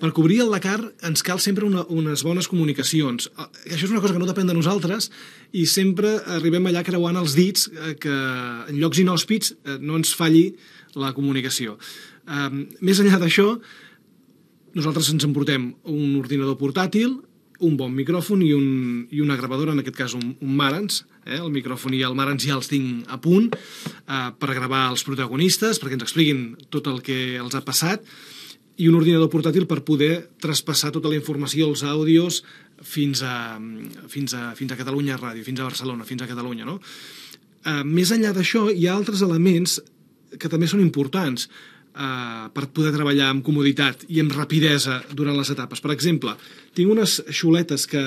Per cobrir el Dakar ens cal sempre unes bones comunicacions. Això és una cosa que no depèn de nosaltres i sempre arribem allà creuant els dits que en llocs inhòspits no ens falli la comunicació. Més enllà d'això, nosaltres ens emportem un ordinador portàtil, un bon micròfon i una gravadora, en aquest cas un Marantz. El micròfon i el Marantz ja els tinc a punt per gravar els protagonistes, perquè ens expliquin tot el que els ha passat, i un ordinador portàtil per poder traspassar tota la informació, els àudios, fins a Catalunya Ràdio, fins a Barcelona, fins a Catalunya, no? Més enllà d'això, hi ha altres elements que també són importants per poder treballar amb comoditat i amb rapidesa durant les etapes. Per exemple, tinc unes xuletes que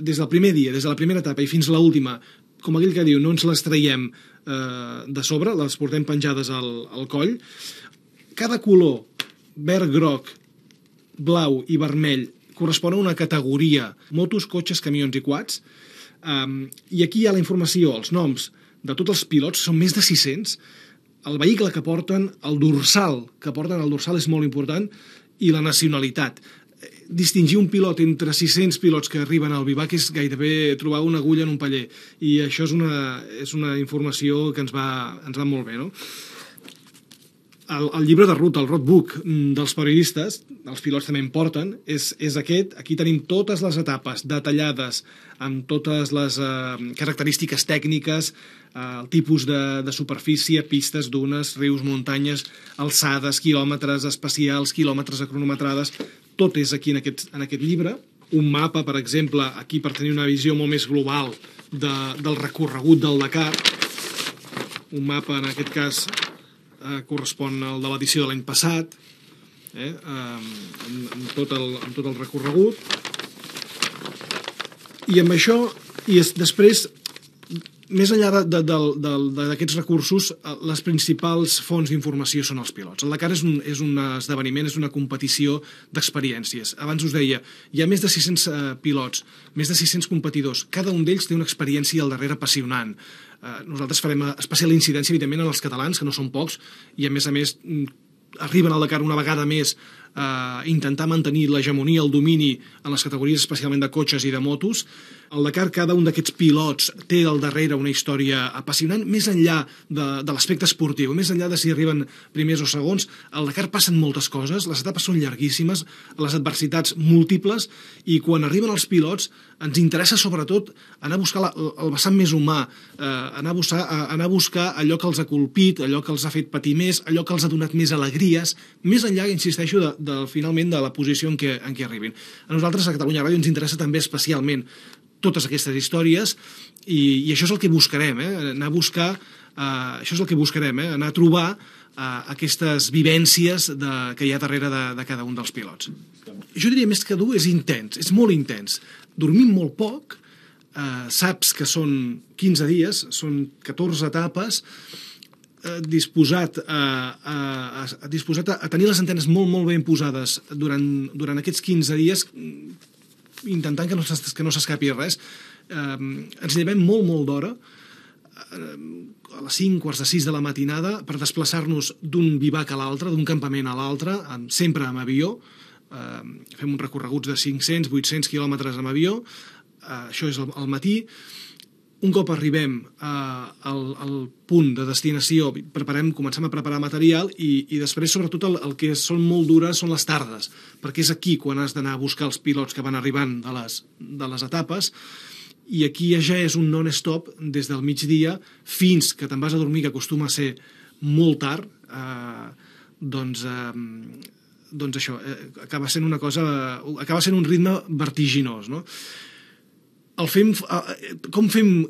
des del primer dia, des de la primera etapa i fins a l'última, com aquell que diu, no ens les traiem de sobre, les portem penjades al coll. Cada color, verd, groc, blau i vermell, correspon a una categoria: motos, cotxes, camions i quads. I aquí hi ha la informació, els noms de tots els pilots, són més de 600, el vehicle que porten, el dorsal que porten, el dorsal és molt important, i la nacionalitat. Distingir un pilot entre 600 pilots que arriben al vivac és gairebé trobar una agulla en un paller, i això és una informació que ens va molt bé, no? El llibre de ruta, el roadbook dels periodistes, els pilots també en porten, és aquest. Aquí tenim totes les etapes detallades, amb totes les característiques tècniques, el tipus de superfície, pistes, dunes, rius, muntanyes, alçades, quilòmetres especials, quilòmetres a cronometrades. Tot és aquí en aquest llibre. Un mapa, per exemple, aquí per tenir una visió molt més global del recorregut del Dakar. Un mapa, en aquest cas, correspon al de l'edició de l'any passat, amb tot el recorregut. I amb això, i després, més enllà d'aquests recursos, les principals fonts d'informació són els pilots. El Dakar és un esdeveniment, és una competició d'experiències. Abans us deia, hi ha més de 600 pilots, més de 600 competidors. Cada un d'ells té una experiència al darrere apassionant. Nosaltres farem especial incidència, evidentment, en els catalans, que no són pocs, i a més arriben al Dakar una vegada més a intentar mantenir l'hegemonia, el domini en les categories especialment de cotxes i de motos. Al Dakar cada un d'aquests pilots té al darrere una història apassionant, més enllà de l'aspecte esportiu, més enllà de si arriben primers o segons. Al Dakar passen moltes coses, les etapes són llarguíssimes, les adversitats múltiples, i quan arriben els pilots ens interessa sobretot anar a buscar el vessant més humà, anar a buscar allò que els ha colpit, allò que els ha fet patir més, allò que els ha donat més alegries, més enllà, insisteixo, finalment de la posició en què arribin. A nosaltres, a Catalunya Ràdio, ens interessa també especialment totes aquestes històries, i això és el que buscarem, anar a buscar, això és el que buscarem, anar a trobar aquestes vivències que hi ha darrere de cada un dels pilots. Jo diria més que dur, és intens, és molt intens. Dormim molt poc, saps que són 15 dies, són 14 etapes, disposat a tenir les antenes molt, molt ben posades durant aquests 15 dies, intentant que no s'escapi res. Ens llevem molt, molt d'hora, a les 5, quarts de 6 de la matinada, per desplaçar-nos d'un vivac a l'altre, d'un campament a l'altre, sempre amb avió. Fem uns recorreguts de 500, 800 quilòmetres amb avió. Això és al matí. Un cop arribem al punt de destinació, comencem a preparar material, i després, sobretot, el que són molt dures són les tardes, perquè és aquí quan has d'anar a buscar els pilots que van arribant de les etapes, i aquí ja és un non-stop des del migdia fins que te'n vas a dormir, que acostuma a ser molt tard. Doncs això, acaba sent un ritme vertiginós, no? Com fem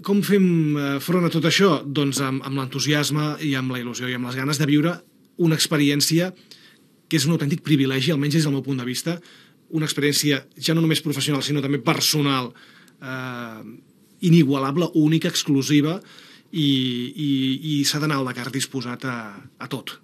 front a tot això? Doncs amb l'entusiasme i amb la il·lusió i amb les ganes de viure una experiència que és un autèntic privilegi, almenys des del meu punt de vista, una experiència ja no només professional, sinó també personal, inigualable, única, exclusiva, i s'ha d'anar al Dakar disposat a tot.